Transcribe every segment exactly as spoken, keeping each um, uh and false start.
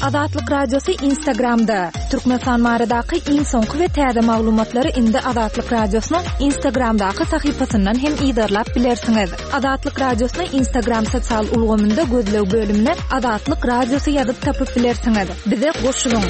Azatlyk Radiosy Instagramda. Türkmenistan baradaky iň soňky we täze maglumatlary indi Azatlyk Radiosynyň Instagramdaky sahypasyndan hem yzarlap bilersiňiz. Azatlyk Radiosyny Instagram sosial ulgamynda gözleg bölümine Azatlyk Radiosy ýazyp tapyp bilersiňiz. Bize goşulyň.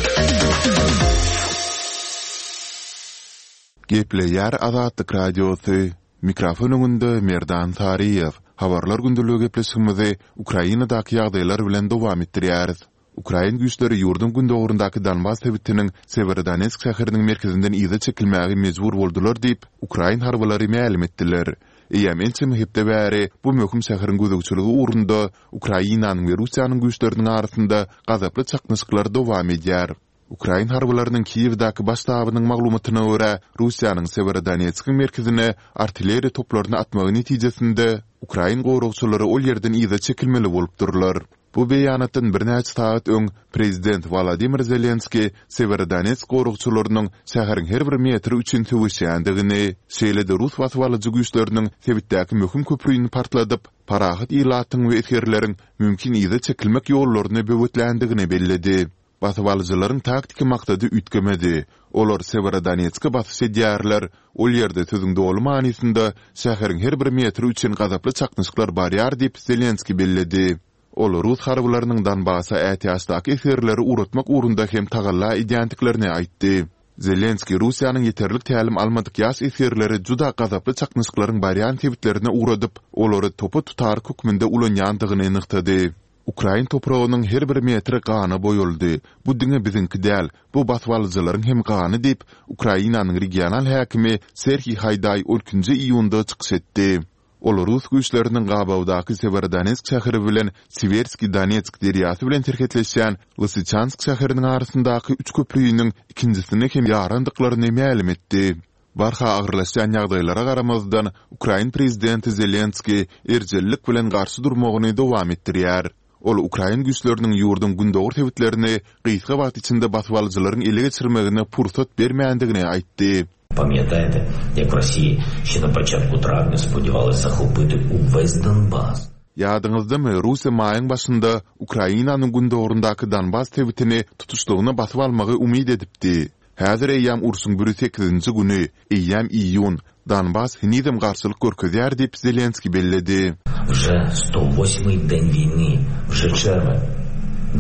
Gepleýär Azatlyk Radiosy. Mikrofon öňünde Merdan Saryýew. Habarlar gündeligi gepleşigimizi Ukrainadaky ýagdaýlar bilen dowam etdirýäris. Ukrain güýçleri ýurduň gündogaryndaky Donbas sebitiniň Sewerodonetsk şäheriniň merkezinden yza çekilmäge mejbur boldular diýip, ukrain harbylary mälim etdiler. Eýýäm ençeme hepde bäri bu möhüm şäheriň gözegçiligi ugrunda Ukrainanyň we Russiýanyň güýçleriniň arasynda gazaply çaknyşyklar dowam edýär. Ukrain harbylarynyň Kiýewdäki baş ştabynyň maglumatyna görä, Russiýanyň Sewerodonetskiň merkezine artilleriýa toplaryny atmagy netijesinde, ukrain goragçylary ol ýerden yza çekilmeli bolupdyrlar. Bu beýanatdan birnäçe sagat öň prezident Wolodymyr Zelenskiý Sewerodonetsk goragçylarynyň şäheriň her bir metri üçin söweşýändigini, şeýle-de rus basybalyjy güýçleriniň sebitdäki möhüm köprüni partladyp, parahat ilatyň we esgerleriň mümkin yza çekilmek ýollaryny böwetländigini belledi. Basybalyjylaryň taktiki maksady üýtgemedi, olar Sewerodonetske basyş edýärler, ol ýerde sözüň doly manysynda şäheriň her bir metri üçin gazaply çaknyşyklar barýar diýip, Zelenskiý belledi. Ol rus harbylarynyň Donbasa ätiýaçdaky esgerleri ugratmak ugrunda hem tagalla edýändiklerini aýtdy. Zelenskiý Russiýanyň ýeterlik tälim almadyk ýaş esgerleri juda gazaply çaknyşyklaryň barýan sebitlerine ugradyp, olary topa tutaryk hökmünde ulanýandygyny nygtady. Ukrain topragynyň her bir metri gana boýaldy. Bu diňe biziňki däl, bu basybalyjylaryň hem gany diýip, Ukrainanyň regional häkimi Serhiý Haýdaý on ikinji iýunda çykyş etdi. Ol rus güýçleriniň gabawdaky Sewerodonetsk şäheri bilen Siwerskiý Donetsk derýasy bilen serhetleşýän Lysyçansk şäheriniň arasyndaky üç köprüniň ikinjisini hem ýarandyklaryny mälim etdi. Barha agyrlaşýan ýagdaýlara garamazdan, ukrain prezidenti Zelenskiý erjellik bilen garşy durmagyny dowam etdirýär. Ol ukrain güýçleriniň ýurduň gündogar sebitlerini gysga wagt içinde basybalyjylaryň ele geçirmegine pursat bermändigini aýtdy. Pamýataýte, jak w Rossiýi şe na poçatku trawnýa spodýewales zahopiti uwes Donbas. Ýadyňyzdamy, Russiýa maýyň başynda Ukrainanyň gündogaryndaky Donbas sebitini tutuşlygyna basyp almagy umyt edipdi. Häzir eýýäm urşuň bir ýüz sekizinji güni, eýýäm iýun, Donbas henizem garşylyk görkezýär diýip, Zelenskiý belledi. Wže sto wosmyý den wiýny, wže çerwen.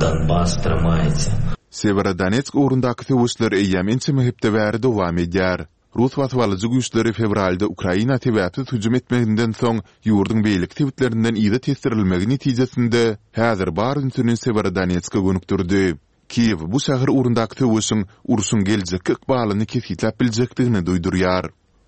Donbas trymaitsiýa. Sewerodonetsk ugrundaky söweşler eýýäm ençeme hepde bäri dowam edýär. Rus basybalyjy güýçleri fewralda Ukraina sebäpsiz hüjüm etmeginden soň ýurduň beýleki sebitlerinden yza tesdirilmegi netijesinde häzir bar ünsüni Sewerodonetske gönükdirdi. Kiýew bu şäher ugrundaky söweşiň urşuň geljekki ykbalyny kesgitläp biljekdigini duýdurýar.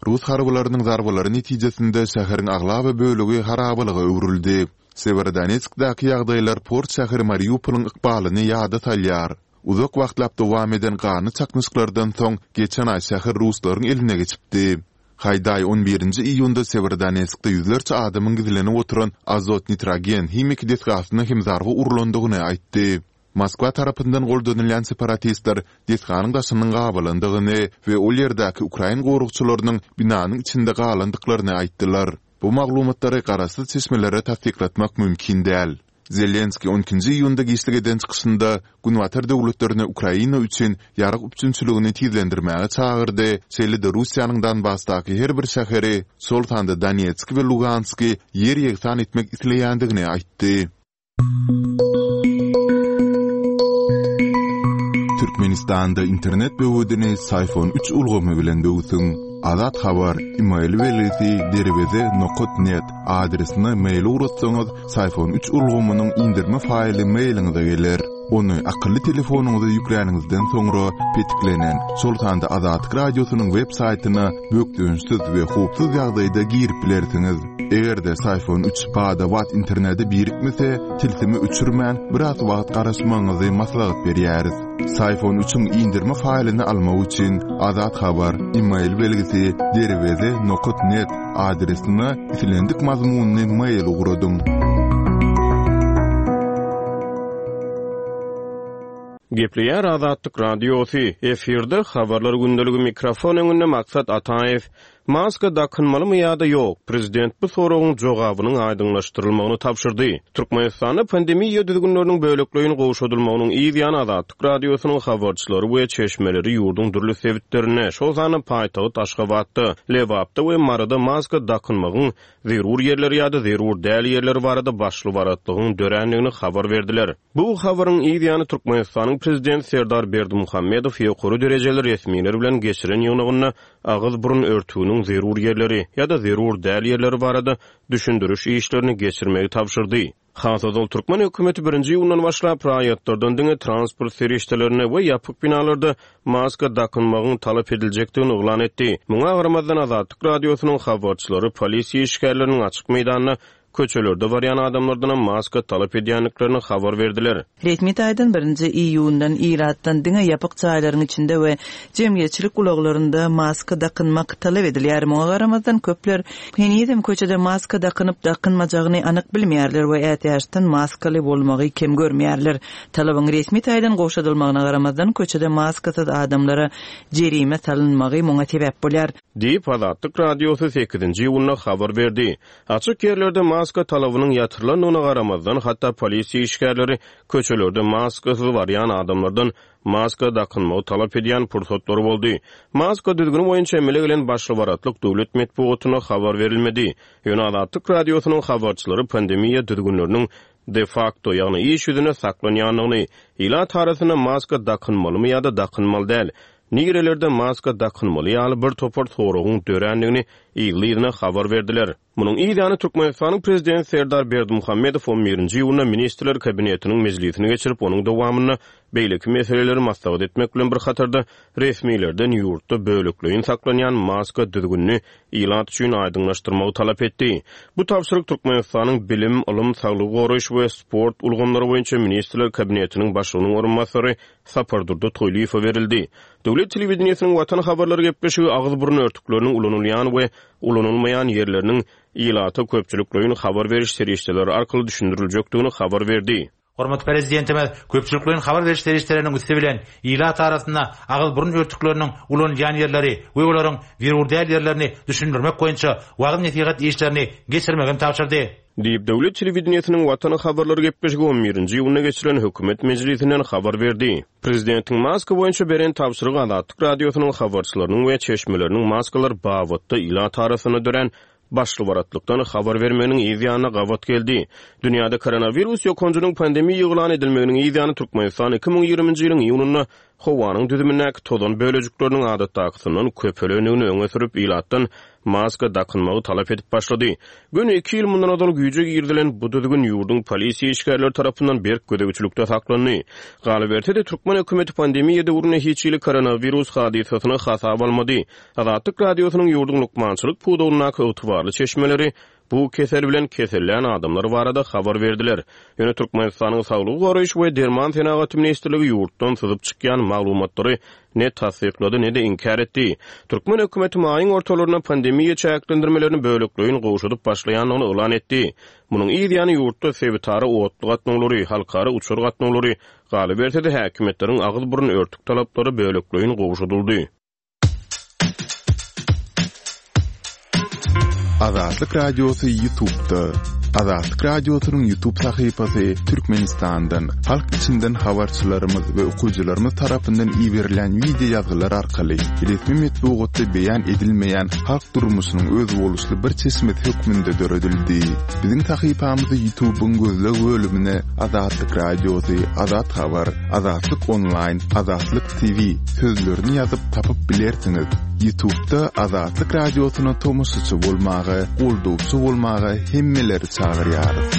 Rus harbylarynyň zarbalary netijesinde şäheriň aglaba bölegi harabalyga öwrüldi. Sewerodonetskdäki ýagdaýlar port şäheri Mariupolyň ykbalyny ýada salýar. Uzak wagtlap dowam eden ganly çaknyşyklardan soň geçen aý şäher ruslaryň eline geçipdi. Haýdaý on birinji iýunda Sewerodonetskde ýüzlerçe adamyň gizlenip oturan azot-nitrogen himiki desgasyna hem zarba urlandygyny aýtdy. Moskwa tarapyndan goldanylýan separatistler desganyň daşynyň gabalandygyny we ol ýerdäki ukrain goragçylarynyň binanyň içinde galandyklaryny aýtdylar. Bu maglumatlary garaşsyz çeşmelere tassyklatmak mümkin däl. Zelenskiý on ikinji iýunda giçlik eden çykyşynda Günbatar döwletlerini Ukraina üçin ýarag üpjünçiligini tizlendirmäge çagyrdy, şeýle-de Russiýanyň Donbasdaky her bir şäheri, şol sanda Donetski we Lugansky ýer-ýegsan etmek isleýändigini aýtdy. Türkmenistanda internet böwedini Syfon üç ulgamy bilen böwsüň. Azat Habar, email belgisi derweze nokat net adresine mail ugratsaňyz, Syfon üç ulgamynyň indirme faýly mailiňize geler. Ony akylly telefonyňyza ýükläniňizden soňra petiklenen, şol sanda Azatlyk Radiosynyň web saýtyna bökdençsiz we howpsuz ýagdaýda girip bilersiňiz. Eger-de Syfon üç bada-bat internete birikmese, tilsimi öçürmän, biraz wagt garaşmagyňyzy maslahat berýäris. Syfon üçiň indirme faýlyny almak üçin Azat Habar, email belgisi derweze nokat net adresine islendik mazmunly mail ugradyň. Gepleýär Azatlyk Radiosy, efirde Habarlar gündeligi mikrofon öňünde Maksat Ataýew. Maska dakynmalymy ýa-da ýok? Prezident bu soragyň jogabynyň aýdyňlaşdyrylmagyny tabşyrdy. Türkmenistanda pandemiýa düzgünleriniň bölekleýin gowşadylmagynyň yz ýany Azatlyk Radiosynyň habarçylary we çeşmeleri ýurduň dürli sebitlerinde, şol sanda paýtagt Aşgabatda, Lebapda we Maryda maska dakynmagyň zerur ýerleri ýa-da zerur däl ýerleri barada başly-baratlygyň dörändigini habar berdiler. Bu habaryň yz ýany Türkmenistanyň prezidenti Serdar Berdimuhamedow ýokary derejeli resmiler bilen geçiren ýygnagynda agyz-burun örtüginiň zerur ýerleri ýa-da zerur däl ýerleri barada düşündiriş işlerini geçirmegi tabşyrdy. Has ozal türkmen hökümeti birinji iýundan başlap raýatlardan diňe transport serişdelerinde we ýapyk binalarda maska dakynmagyň talap ediljekdigini yglan etdi. Muňa garamazdan Azatlyk Radiosynyň habarçylary polisiýa işgärleriniň açyk meýdanda köçelerde barýan adamlardan maska talap edýändiklerini habar berdiler. Resmi taýdan birinji iýundan ilatdan diňe ýapyk jaýlaryň içinde we jemgyýetçilik ulaglarynda maska dakynmak talap edilýär. Muňa garamazdan köpler henizem köçede maska dakynyp dakynmajagyny anyk bilmeýärler we ätiýaçdan maskaly bolmagy kem görmeýärler. Talabyň resmi taýdan gowşadylmagyna garamazdan köçede maskasyz adamlara jerime salynmagy muňa sebäp bolýar. Diýip Azatlyk Radiosy sekizinji iýunda habar berdi. Açyk ýerlerde maska talabynyň ýatyrylandygyna garamazdan hatda polisiýa işgärleri köçelerde maskasyz barýan adamlardan maska dakynmagy talap edýän pursatlary boldy. Maska düzgüni boýunça emele gelen başly-baratlyk döwlet metbugatyna habar berilmedi. Ýöne Azatlyk Radiosynyň habarçylary pandemiýa düzgünleriniň de facto, ýagny iş ýüzüne saklanýandygyny, ilat arasynda maska dakynmalymy ýa-da dakynmaly däl, nirelerde maska dakynmaly ýaly bir topar soragyň dörändigini ýygy-ýygyna habar berdiler. Munuň yz ýany Türkmenistanyň prezidenti Serdar Berdimuhamedow on birinji iýunda Ministrler Kabinetiniň mejlisini geçirip, onuň dowamynda beýleki meseleleri maslahat etmek bilen bir hatarda resmilerden ýurtda bölekleýin saklanýan maska düzgünini ilat üçin aýdyňlaşdyrmagy talap etdi. Bu tabşyryk Türkmenistanyň bilim, ylym, saglygy goraýyş we sport ulgamlary boýunça Ministrler Kabinetiniň başlygynyň orunbasary Sapardurdy Toýlyýewe berildi. Döwlet telewideniýesiniň Watan habarlary gepleşigi agyz-burun örtükleriniň ulanylýan we ulanylmaýan ýerleriniň ilata köpçülikleýin habar beriş serişdeleri arkaly düşündiriljekdigini habar berdi. Hormatly Prezidentimiz köpçülikleýin habar beriş serişdeleriniň üsti bilen ilat arasynda agyz-burun örtükleriniň ulanylýan ýerleri we olaryň zerur däl ýerlerini düşündirmek boýunça wagyz-nesihat işlerini geçirmegi tabşyrdy. Diýip, döwlet telewideniýesiniň Watan habarlary gepleşigi on birinji iýunda geçirilen hökümet mejlisinden habar berdi. Prezidentiň maska boýunça beren tabşyrygy Azatlyk Radiosynyň habarçylarynyň we çeşmeleriniň maskalar babatda ilat arasynda dörän başly-baratlykdan habar bermeginiň yz ýanyna gabat geldi. Dünýäde koronawirus ýokanjynyň pandemiýa yglan edilmeginiň yz ýany Türkmenistan iki müň ýigriminji ýylyň iýunynda howanyň düzümindäki tozan bölejikleriniň adatdakysyndan köpelendigini öňe sürüp ilatdan maska dakynmagy talap edip başlady. Göni iki ýyl mundan ozal güýje girizilen bu düzgün ýurduň polisiýa işgärleri tarapyndan berk gözegçilikde saklandy. Galyberse-de türkmen hökümeti pandemiýa döwründe hiç hili koronawirus hadysasyny hasap almady. Azatlyk Radiosynyň ýurduň lukmançylyk pudagyndaky ygtybarly çeşmeleri bu kesel bilen kesellän adamlar barada habar berdiler. Ýöne Türkmenistanyň Saglygy goraýyş we Derman senagaty ministrligi ýurtdan syzyp çykýan maglumatlary ne tassyklady ne-de inkär etdi. Türkmen hökümeti maýyň ortalarynda pandemiýa çäklendirmelerini bölekleýin gowşadyp başlaýandygyny yglan etdi. Munuň yz ýany ýurtda sebitara otly gatnawlary, halkara uçar gatnawlary, galyberse-de häkimiýetleriň agyz-burun örtük talaplary bölekleýin gowşadyldy. Azatlyk Radiosy YouTube'da. Azatlyk Radiosynyň YouTube sahypasy Türkmenistandan, halk içinden habarçylarymyz we okyjylarymyz tarapyndan iberilen video ýazgylar arkaly resmi metbugatda beýan edilmeýän halk durmuşynyň özboluşly bir çeşmesi hökmünde döredildi. Biziň sahypamyzy YouTube'yň gözleg bölümine Azatlyk Radiosy, Azat Habar, Azatlyk Online, Azatlyk T V sözlerini ýazyp tapyp bilersiňiz. YouTube'da Azatlyk Radiosyna tomaşaçy bolmaga, goldawçy bolmaga hemmeleri çagyrýarys.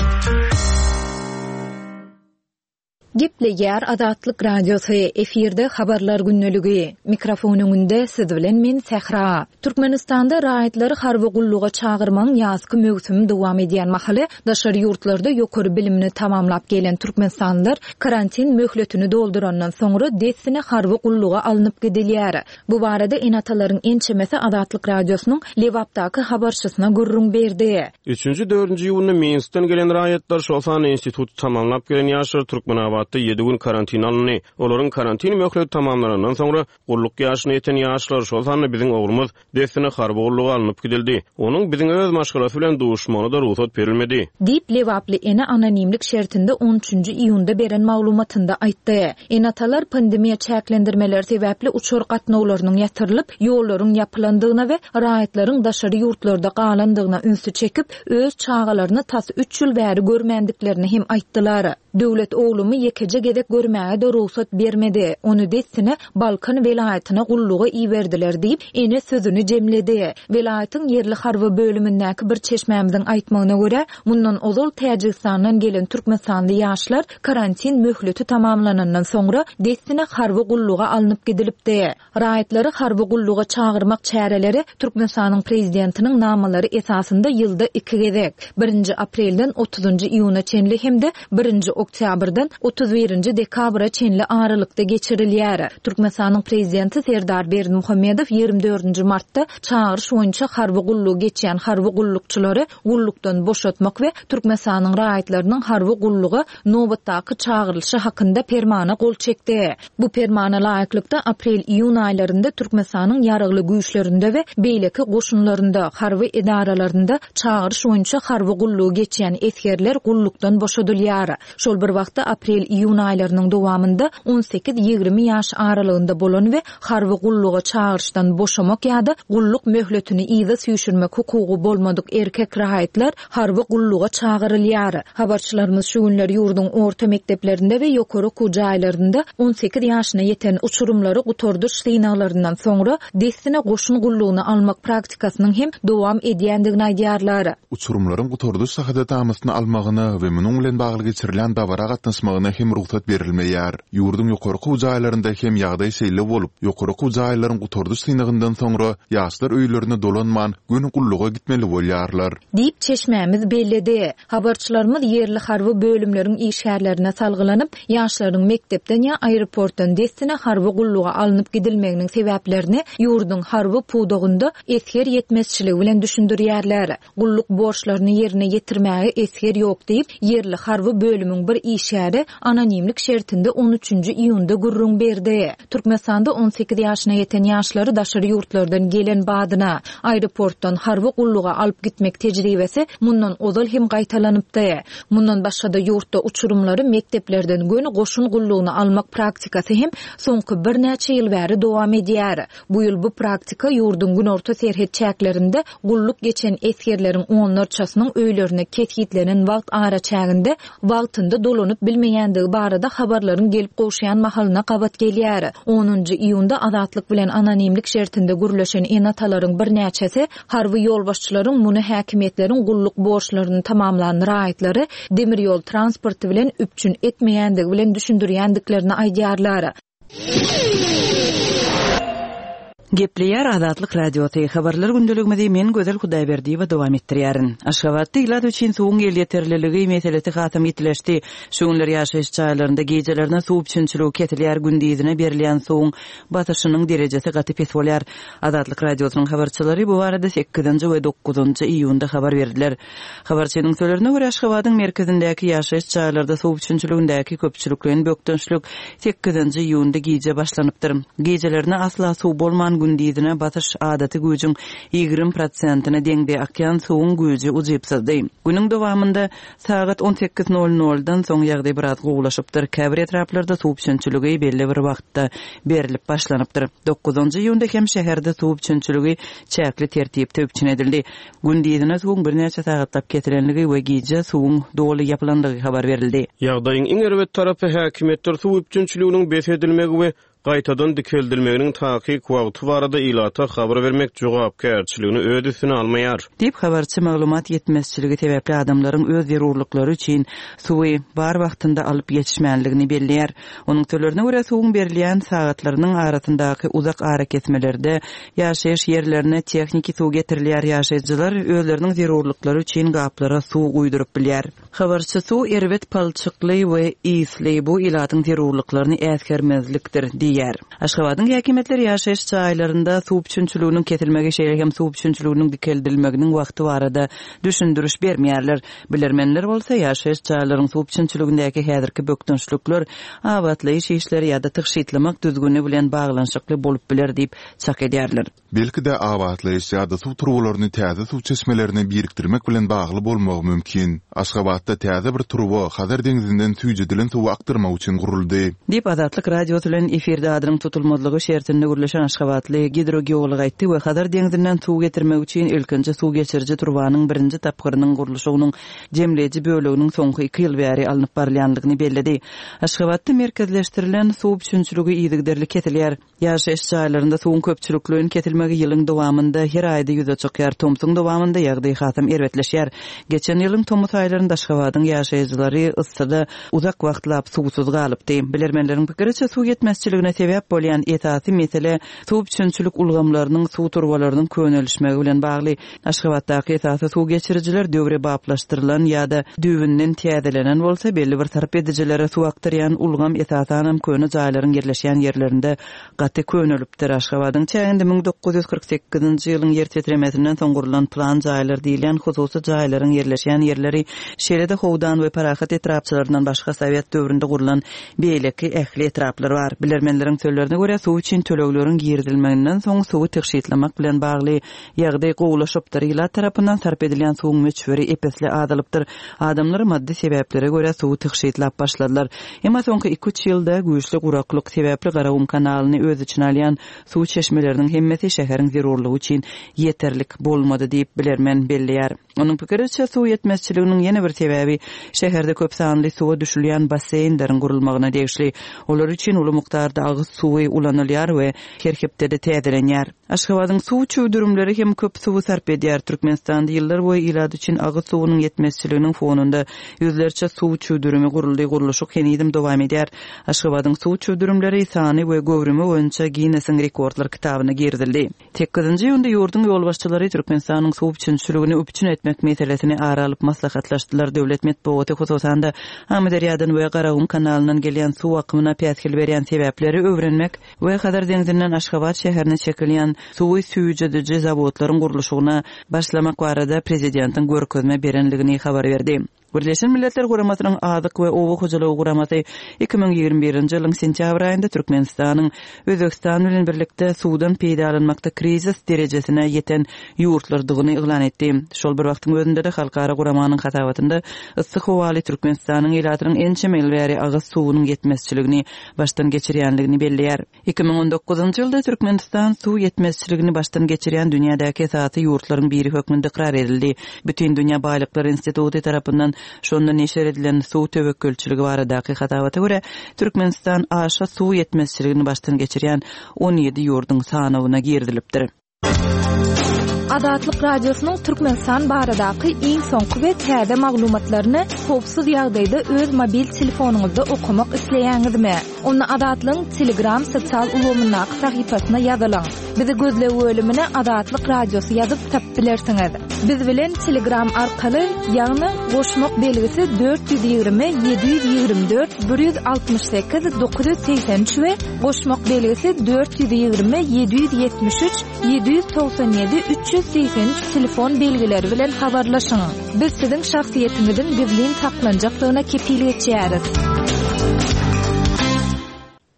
Gepleýär Azatlyk Radiosy, efirde habarlar gündeligi. Mikrofon öňünde siz bilen men Sähra. Türkmenistanda raýatlary harby gulluga çagyrmagyň ýazky möwsümi dowam edýän mahaly daşary ýurtlarda ýokary bilimini tamamlap gelen türkmenistanlylar karantin möhletini doldurandan soňra dessine harby gulluga alnyp gidilýär. Bu barada ene-atalaryň ençemesi Azatlyk Radiosynyň Lebapdaky habarçysyna gürrüň berdi. Üçünji, dördünji iýunda Minskden gelen raýatlar şol sanda instituty tamamlap gelen ýaşlar Türkmenabat Aşgabatda ýedi gün karantina alyndy. Olaryň karantin möhleti tamamlanandan soňra gulluk ýaşyna ýeten ýaşlar, şol sanda biziň oglumyz dessine harby gulluga alnyp gidildi. Onuň biziň öz maşgalasy bilen duşmagyna-da rugsat berilmedi. Diýip, lebaply ene anonimlik şertinde on üçünji iýunda beren maglumatynda aýtdy. Ene-atalar pandemiýa çäklendirmeleri sebäpli uçar gatnawlarynyň ýatyrylyp, ýollaryň ýapylandygyna we raýatlaryň daşary ýurtlarda galandygyna ünsi çekip, öz çagalaryny tas üç ýyl bäri görmändiklerini hem aýtdylar. Döwlet oglumy ýekeje gezek görmäge-de rugsat bermedi. Ony dessine Balkan welaýatyna gulluga iberdiler diýip, ene sözüni jemledi. Welaýatyň ýerli harby bölümindäki bir çeşmämiziň aýtmagyna görä, mundan ozal Täjigistandan gelen türkmenistanly ýaşlar karantin möhleti tamamlanandan soňra dessine harby gulluga alnyp gidilipdi. Raýatlary harby gulluga çagyrmak çäreleri Türkmenistanyň prezidentiniň namalary esasynda ýylda iki gezek, birinji aprelden otuzynjy iýuna çenli hem-de birinji oktýabrdan otuz birinji dekabra çenli aralykda geçirilýär. Türkmenistanyň prezidenti Serdar Berdimuhamedow ýigrimi dördünji martda çagyryş boýunça harby gullugy geçýän harby gullukçylary gullukdan boşatmak we Türkmenistanyň raýatlarynyň harby gulluga nobatdaky çagyrylyşy hakynda permana gol çekdi. Bu permana laýyklykda aprel-iýun aýlarynda Türkmenistanyň ýaragly güýçlerinde we beýleki goşunlarynda, harby edaralarynda çagyryş boýunça harby gullugy geçýän esgerler gullukdan boşadylýar. Şol bir wagtda aprel-iýun aýlarynyň dowamynda on sekiz-ýigrimi ýaş aralygynda bolan we harby gulluga çagyryşdan boşamak ýa-da gulluk möhletini yza süýşürmek hukugy bolmadyk erkek raýatlar harby gulluga çagyrylýar. Habarçylarymyz şu günler ýurduň orta mekdeplerinde we ýokary okuw jaýlarynda on sekiz ýaşyna ýeten uçurymlary gutardyş synaglaryndan soňra dessine goşun gullugyny almak praktikasynyň hem dowam edýändigini aýdýarlar. Uçurymlaryň gutardyş şahadatnamasyny almagyna we munuň bilen bagly geçirilen dabara gatnaşmagyna hem rugsat berilmeýär. Ýurduň ýokary okuw jaýlarynda hem ýagdaý şeýle bolup, ýokary okuw jaýlaryň gutardyş synagyndan soňra ýaşlar öýlerine dolanman göni gulluga gitmeli bolýarlar. Diýip çeşmämiz belledi. Habarçylarymyz ýerli harby bölümleriň işgärlerine salgylanyp, ýaşlaryň mekdepden ýa aeroportdan dessine harby gulluga alnyp gidilmeginiň sebäplerini ýurduň harby pudagynda esger ýetmezçiligi bilen düşündirýärler. Gulluk borçlaryny ýerine ýetirmäge esger ýok diýip, ýerli harby bölümiň bir işgäri anonimlik şertinde on üçünji iýunda gürrüň berdi. Türkmenistanda on sekiz ýaşyna ýeten ýaşlary daşary ýurtlardan gelen badyna aeroportdan harby gulluga alyp gitmek tejribesi mundan ozal hem gaýtalanypdy. Mundan başga-da ýurtda uçurymlary mekdeplerden göni goşun gullugyny almak praktikasy hem soňky birnäçe ýyl bäri dowam edýär. Bu ýyl bu praktika ýurduň günorta serhet çäklerinde gulluk geçen esgerleriň onlarçasynyň öýlerine kesgitlenen wagt araçäginde wagtynda dolanyp bilmeýändigi barada habarlaryň gelip gowşaýan mahalyna gabat gelýär. Onunjy iýunda Azatlyk bilen anonimlik şertinde gürleşen ene-atalaryň birnäçesi harby ýolbaşçylaryň muny häkimiýetleriň gulluk borçlaryny tamamlan raýatlary demir ýol transporty bilen üpjün etmeýändigi bilen düşündirýändiklerini aýdýarlar. Gepleýär Azatlyk Radiosy. Habarlar gündeligimizi men Gözel Hudaýberdiýewa dowam etdirýärin. Aşgabatda ilat üçin suwuň elýeterliligi meselesi hasam ýitileşdi. Şu günler ýaşaýyş jaýlarynda gecelerine suw üpjünçiligi kesilýär, gündizine berilýän suwuň basyşynyň derejesi gaty pes bolýar. Azatlyk Radiosynyň habarçylary bu barada sekizinji we dokuzynjy iýunda habar berdiler. Habarçynyň sözlerine görä Aşgabadyň merkezindäki ýaşaýyş jaýlarda suw üpjünçiligindäki köpçülikleýin bökdençlik sekizinji iýunda gije başlanypdyr. Gecelerine asla suw bolman gündizine basyş adaty güýjüň ýigrimi prosentine deňde akýan suwuň güýji ujypsyzdy. Günüň dowamynda sagat on sekiz nol noldan soň ýagdaý biraz gowulaşypdyr. Käbir etraplarda suw üpjünçiligi belli bir wagtda berilip başlanypdyr. Dokuzynjy iýunda hem şäherde suw üpjünçiligi çäkli tertipde üpjün edildi. Gündizine suwuň birnäçe sagatlap kesilenligi we gije suwuň doly ýapylanlygy habar berildi. Ýagdaýyň iň erbet tarapy häkimiýetler suw üpjünçiliginiň bes edilmegi we gaýtadan dikeldilmeginiň takyk wagty barada ilata habar bermek jogapkärçiligini öz üstüne almaýar. Diýip habarçy maglumat ýetmezçiligi sebäpli adamlaryň öz zerurlyklary üçin suwy bar wagtynda alyp ýetişmänligini belleýär. Onuň sözlerine görä suwuň berilýän sagatlarynyň arasyndaky uzak arakesmelerde ýaşaýyş ýerlerine tehniki suw getirilýär. Ýaşaýjylar özleriniň zerurlyklary üçin gaplara suw guýduryp bilýär. Habarçy suw erbet palçykly we isli bu ilatyň zerurlyklaryny äsgermezlikdir diýýär. diýýär. Aşgabadyň häkimiýetleri ýaşaýyş jaýlarynda suw üpjünçiliginiň kesilmegi, şeýle hem suw üpjünçiliginiň dikeldilmeginiň wagty barada düşündiriş bermeýärler. Bilermenler bolsa ýaşaýyş jaýlaryň suw üpjünçiligindäki häzirki bökdençlikler abatlaýyş işleri ýa-da tygşytlamak düzgüni bilen baglanyşykly bolup biler diýip çak edýärler. Belki-de abatlaýyş ýa-da suw turbalaryny täze suw çeşmelerine birikdirmek bilen bagly bolmagy mümkin. Aşgabatda täze bir turba Hazar deňzinden süýjedilen suwy akdyrmak üçin guruldy. Diýip, Azatlyk Radiosy bilen efirde adynyň tutulmazlygy şertinde gürleşen aşgabatly gidrogeolog aýtdy we Hazar deňzinden suw getirmek üçin ilkinji suw geçiriji turbanyň birinji tapgyrynyň gurluşygynyň jemleýji böleginiň soňky iki ýyl bäri alnyp barylýandygyny belledi. Aşgabatda merkezleşdirilen suw üpjünçiligi yzygiderli kesilýär. Ýaşaýyş jaýlarynda suwuň köpçülikleýin kesilmegi ýylyň dowamynda her aýda ýüze çykýar. Tomsuň dowamynda ýagdaý hasam erbetleşýär. Geçen ýylyň tomus aýlarynda Aşgabadyň ýaşaýjylary yssyda uzak wagtlap suwsuz galypdy. Bilermenleriň pikiriçe suw ýetmezçiligine sebäp bolýan esasy mesele suw üpjünçilik ulgamlarynyň suw turbalarynyň könelişmegi bilen bagly. Aşgabatdaky esasy suw geçirijiler döwrebaplaşdyrylan ýa-da düýbünden täzelenen bolsa, belli bir sarp edijilere suw akdyrýan ulgam esasanam köne jaýlaryň ýerleşýän ýerlerinde gaty könelipdir. Aşgabadyň çäginde müň dokuz ýüz kyrk sekizinji ýylyň ýer titremesinden soň gurlan plan jaýlar diýilýän hususy jaýlaryň ýerleşýän ýerleri, şeýle-de Howdan we Parahat etrapçalaryndan başga Sowet döwründe gurlan beýleki ähli etraplar bar. Bilermenleriň sözlerine görä, suw üçin tölegleriň girizilmeginden soň suwy tygşytlamak bilen bagly ýagdaý gowulaşypdyr. Ilat tarapyndan sarp edilýän suwuň möçberi epesli azalypdyr. Adamlar maddy sebäplere görä suwy tygşytlap başladylar. Emma soňky iki-üç ýylda güýçli guraklyk sebäpli Garagum kanalyny öz içine alýan suw çeşmeleriniň hemmesi şäheriň zerurlygy üçin ýeterlik bolmady diýip bilermen belleýär. Onuň pikiriçe suw ýetmezçiliginiň ýene bir sebäbi şäherde köp sanly suwa düşülýän basseýnleriň gurulmagyna degişli. Olar üçin uly mukdarda agyz suwy ulanylýar we her hepdede täzelenýär. Aşgabadyň suw çüwdürimleri hem köp suwy sarp edýär. Türkmenistanda ýyllar boýy ilat üçin agyz suwunyň ýetmezçiliginiň fonunda ýüzlerçe suw çüwdürimi guruldy, gurluşyk henizem dowam edýär. Aşgabadyň suw çüwdürimleri sany we göwrümi boýunça Guinnessiň rekordlar kitabyna girizildi. Sekizinji iýunda ýurduň ýolbaşçylary Türkmenistanyň suw üpjünçiligini üpjün etmek meselesini ara alyp maslahatlaşdylar. Döwlet metbugaty hususan-da Amyderýadan we Garagum kanalyndan gelýän suw akymyna päsgel berýän sebäpleri öwrenmek we Hazar deňzinden Aşgabat şäherine çekilýän suwy süýjediji zawodlaryň gurluşygyna başlamak barada prezidentiň görkezme berenligini habar berdi. Birleşen Milletler Guramasynyň Azyk we Oba hojalygy guramasy iki müň ýigrimi birinji ýylyň sentýabr aýynda Türkmenistanyň Özbegistan bilen birlikde suwdan peýdalanmakda krizis derejesine ýeten ýurtlardygyny yglan etdi. Şol bir wagtyň özünde-de halkara guramanyň hasabatynda yssy howaly Türkmenistanyň ilatynyň ençeme ýyl bäri agyz suwunyň ýetmezçiligini başdan geçirýänligini belleýär. Iki müň on dokuzynjy ýylda Türkmenistan suw ýetmezçiligini başdan geçirýän dünýädäki esasy ýurtlaryň biri hökmünde ykrar edildi. Bütün Dünýä Baýlyklar Instituty tarapyndan şonda neşir edilen suw töwekgelçiligi baradaky hasabata görä, Türkmenistan aşa suw ýetmezçiligini başdan geçirýän on ýedi ýurduň sanawyna girizilipdir. Azatlyk Radiosynyň Türkmenistan baradaky iň soňky we täze maglumatlaryny howpsuz ýagdaýda öz mobil telefonyňyzda okamak isleýäňizmi? Onda Azatlygyň Telegram sosial ulgamyndaky sahypasyna ýazylyň. Bizi gözleg bölümine Azatlyk Radiosy ýazyp tapyp bilersiňiz. Biz bilen Telegram arkaly, ýagny goşmak belgisi dört ýüz ýigrimi, ýedi ýüz ýigrimi dört, bir ýüz altmyş sekiz, dokuz ýüz segsen üç we goşmak belgisi dört ýüz ýigrimi, ýedi ýüz ýetmiş üç, ýedi ýüz togsan ýedi, üç ýüz segsen üç telefon belgileri bilen habarlaşyň. Biz siziň şahsyýetiňiziň gizlin saklanjakdygyna kepil geçýäris.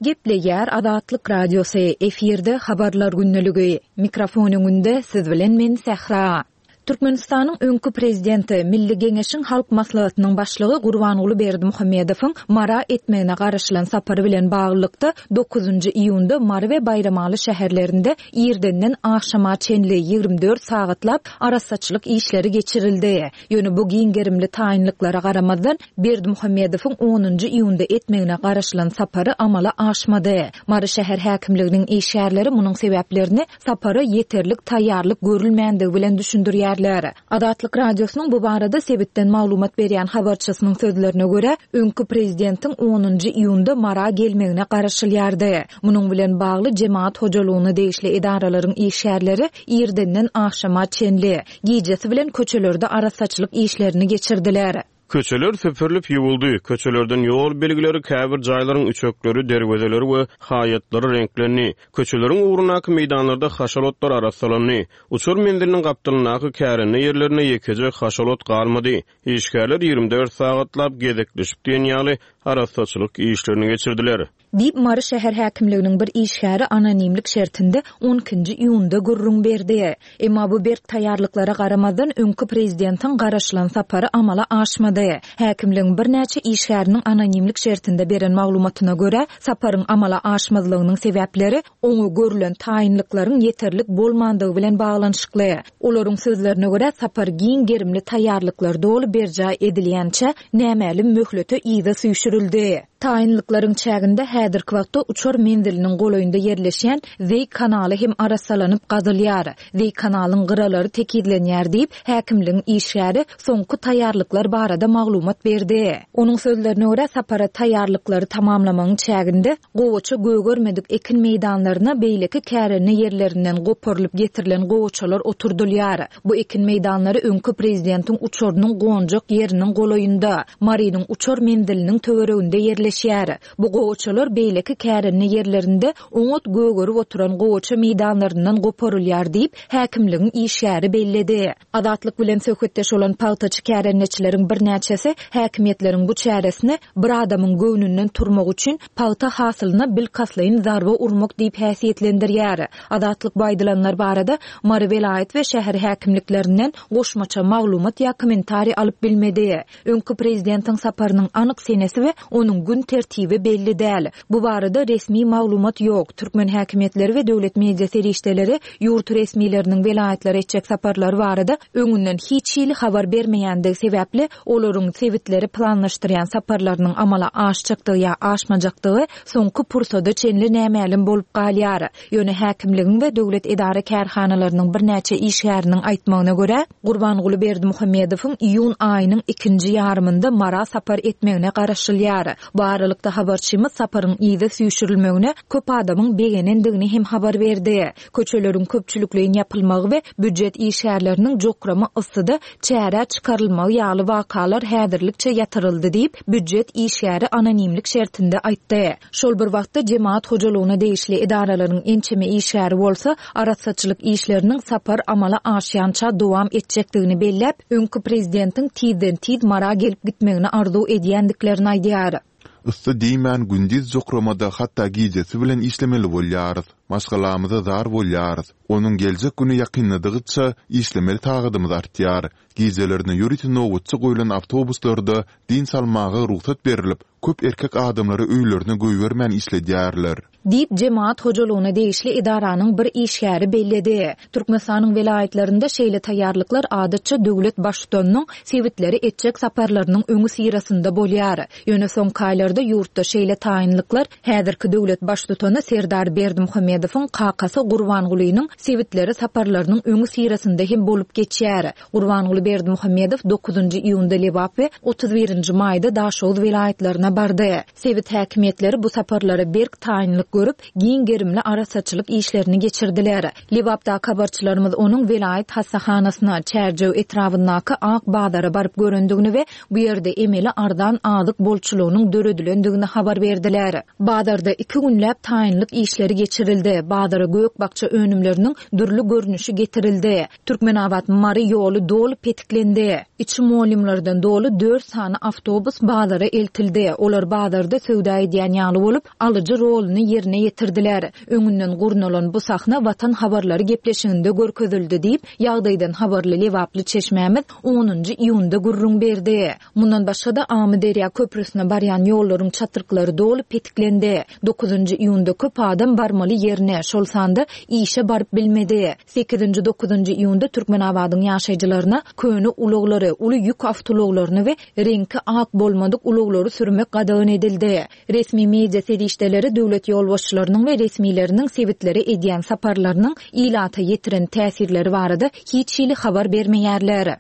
Gepleýär Azatlyk Radiosy, efirde habarlar gündeligi. Mikrofon öňünde siz bilen men Sähra. Türkmenistanyň öňki prezidenti, Milli Geňeşiň Halk Maslahatynyň başlygy Gurbanguly Berdimuhamedowyň Mara etmegine garaşylan sapary bilen baglylykda dokuzynjy iýunda Mary we Baýramaly şäherlerinde irdenden agşama çenli ýigrimi dört sagatlap arassaçylyk işleri geçirildi. Ýöne bu giň gerimli taýynlyklara garamazdan Berdimuhamedowyň onunjy iýunda etmegine garaşylan sapary amala aşmady. Mary şäher häkimliginiň işgärleri munuň sebäplerini sapara ýeterlik taýýarlyk görülmändigi bilen düşündirýärler. Azatlyk Radiosynyň bu barada sebitden maglumat berýän habarçysynyň sözlerine görä, öňki prezidentiň onunjy iýunda Mara gelmegine garaşylýardy. Munuň bilen bagly jemaat hojalygyna degişli edaralaryň işgärleri irdenden agşama çenli gijesi bilen köçelerde arassaçylyk işlerini geçirdiler. Köçeler süpürilip ýuwuldy, köçelerden ýol belgileri, käbir jaýlaryň üçekleri, derwezeleri we haýatlary reňklendi. Köçeleriň ugrundaky meýdanlarda haşal otlar arassalandy. Uçar menziliniň gapdalyndaky kärende ýerlerinde ýekeje haşal ot galmady. Işgärler ýigrimi dört sagatlap gezekleşip diýen ýaly arassaçylyk işlerini geçirdiler. Diýip, Mary şäher häkimliginiň bir işgäri anonimlik şertinde on ikinji iýunda gürrüň berdi. Emma bu berk taýýarlyklara garamazdan, öňki prezidentiň garaşylan sapary amala aşmady. Häkimligiň birnäçe işgäriniň anonimlik şertinde beren maglumatyna görä, saparyň amala aşmazlygynyň sebäpleri oňa görülen taýynlyklaryň ýeterlik bolmandygy bilen baglanyşykly. Olaryň sözlerine görä, sapar giň gerimli taýýarlyklar doly berjaý edilýänçä nämälim möhlete yza süýşürildi. Taýynlyklaryň çäginde häzirki wagtda uçar menziliniň golaýynda ýerleşýän Zeý kanaly hem arassalanyp gazylýar. Zeý kanalyň gyralary tekizlenýär diýip, häkimligiň işgäri soňky taýýarlyklar barada maglumat berdi. Onuň sözlerine görä, sapara taýýarlyklary tamamlamagyň çäginde gowaça gögermedik ekin meýdanlaryna beýleki kärende ýerlerinden goparylyp getirilen gowaçalar oturdylýar. Bu ekin meýdanlary öňki prezidentiň uçarynyň gonjak ýeriniň golaýynda, Marynyň uçar menziliniň töwereginde ýerleşýär. Bu gowaçalar beýleki kärende ýerlerinde oňat gögerip oturan gowaça meýdanlaryndan goparylýar diýip, häkimligiň işgäri belledi. Azatlyk bilen söhbetdeş bolan pagtaçy kärendeçileriň birnäçesi häkimiýetleriň bu çäresini bir adamyň göwnünden turmak üçin pagta hasylyna bilkastlaýyn zarba urmak diýip häsiýetlendirýär. Azatlyk bu aýdylanlar barada Mary welaýat we şäher häkimliklerinden goşmaça maglumat ýa kommentariý alyp bilmedi. Öňki prezidentiň saparynyň anyk senesi we onuň gün tertibi belli däl. Bu barada resmi maglumat ýok. Türkmen häkimiýetleri we döwlet media serişdeleri ýurt resmileriniň welaýatlara etjek saparlary barada öňünden hiç hili habar bermeýändigi sebäpli olaryň sebitleri planlaşdyrýan saparlarynyň amala aşjakdygy ýa aşmajakdygy soňky pursada çenli nämälim bolup galýar. Ýöne häkimligiň we döwlet edara kärhanalarynyň birnäçe işgäriniň aýtmagyna görä, Gurbanguly Berdimuhamedowyň iýun aýynyň ikinji ýarymynda Mara sapar etmegine garaşylýar. Bu aralykda habarçymyz saparyň yzy süýşürilmegine köp adamyň begenendigini hem habar berdi. Köçeleriň köpçülikleýin ýapylmagy we býujet işgärleriniň jokrama yssyda çärä çykarylmagy ýaly wakalar häzirlikçe ýatyryldy diýip, býujet işgäri anonimlik şertinde aýtdy. Şol bir wagtda jemaat hojalygyna degişli edaralaryň ençeme işgäri bolsa, arassaçylyk işleriniň sapar amala aşýança dowam etjekdigini belläp, öňki prezidentiň tizden-tiz Mara gelip gitmegini arzuw edýändiklerini aýdýar. Yssy diýmän gündiz jokramada hatda gijesi bilen işlemeli bolýarys. Maşgalamyza zar bolýarys. Onuň geljek güni ýakynladygyça işlemeli sagadymyz artýar. Gijelerine ýörite nobatçy goýlan awtobuslarda dynç almaga rugsat berilip, köp erkek adamlary öýlerine goýbermän işledýärler. Diýip, jemaat hojalygyna degişli edaranyň bir işgäri belledi. Türkmenistanyň welaýatlarynda şeýle taýýarlyklar adatça döwlet baştutanynyň sebitleri etjek saparlarynyň öňi syrasynda bolýar. Ýöne soňky aýlarda ýurtda şeýle taýynlyklar häzirki döwlet baştutany Serdar Berdimuhamedowyň kakasy Gurbangulynyň sebitleri saparlarynyň öňi syrasynda hem bolup geçýär. Gurbanguly Berdimuhamedow dokuzynjy iýunda Lebap we otuz birinji maýda Daşoguz welaýatlaryna bardy. Sebit häkimiýetleri bu saparlara berk taýynlyk görüp, giň gerimli arassaçylyk işlerini geçirdiler. Lebapdaky habarçylarymyz onuň welaýat hassahanasyna, Çärjew etrabyndaky Ak bazara baryp görendigini we bu ýerde emeli arzan azyk bolçulygynyň döredilendigini habar berdiler. Bazarda iki günläp taýynlyk işleri geçirildi. Bazara gök bakja önümleriniň dürli görnüşi getirildi. Türkmenabat Mary ýoly doly petiklendi. Içi molymlardan doly dört sany awtobus bazara eltildi. Olar bazarda söwda edýän ýaly bolup, alyjy roluny ýerine ýetirdiler. Öňünden gurnalan bu sahna Watan habarlary gepleşiginde görkezildi diýip, ýagdaýdan habarly Lebaply çeşmämiz onunjy iýunda gürrüň berdi. Mundan başga-da Amyderýa köprüsine barýan ýollaryň çatryklary doly petiklendi. Dokuzynjy iýunda köp adam barmaly ýerine, şol sanda işe baryp bilmedi. Sekizinji, dokuzynjy iýunda Türkmenabadyň ýaşaýjylaryna köne ulaglary, uly ýük awtoulaglaryny we reňki ak bolmadyk ulaglary sürmek gadagan edildi. Resmi media serişdeleri döwlet ýolbaşçylarynyň we resmileriniň sebitlere edýän saparlarynyň ilata ýetiren täsirleri barada hiç hili habar bermeýärler.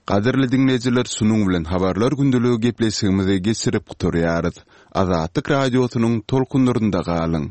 Gadyrly dinleýjiler, şunuň bilen habarlar gündeligi gepleşigimizi geçirip gutarýarys. Azatlyk radiosynyň tolkunlarynda galyň.